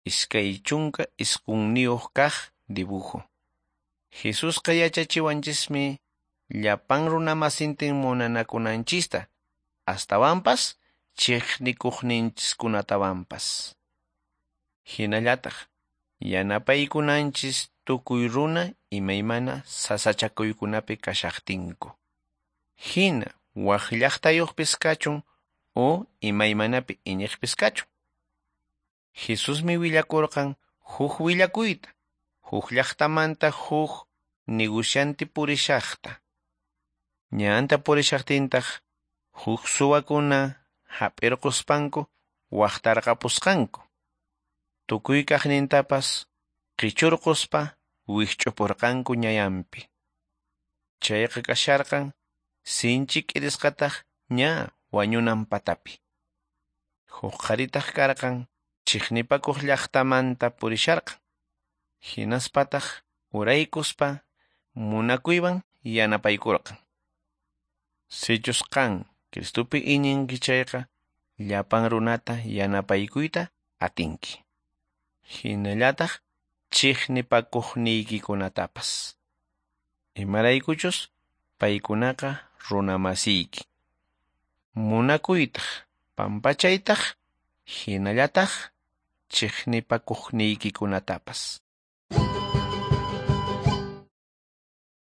29 kaq dibujo. Jesusqa yachachiwanchismi llapan runamasintin munanakunanchista, astawanpas chiqnikuqninchiskunatawanpas. Hinallataq yanapaykunanchis tukuy runa imaymana sasachakuykunapi kashaqtinku. Hina wak llaqtayuqpis kachun o imaymanapi iñiqpis kachun. Jesusmi willakurqan huk willakuyta, huk llaqtamanta huk nigusyanti purishaqta. Ñanta purishaqtintaq huk suwakuna hap'irquspanku waqtarqapusqanku. Tukuy kaqnintapas qichurquspa wikch'upurqanku ñayanpi. Chayqa kasharqan sinchi k'irisqataq ña wañunan patapi. Huk qharitaq karqan chiqnipakuq llaqtamanta purisharqan. Hinaspataq uraykuspa munakuywan yanapaykurqan. Sichus qan Cristopi iñinki chayqa llapan runata yanapaykuyta atinki. Hinallataq chiqnipakuqniykikunatapas. Imaraykuchus paykunaqa runamasiyki. Munakuytaq, pampachaytaq, hinallataq chiqnipakuqniykikunatapas.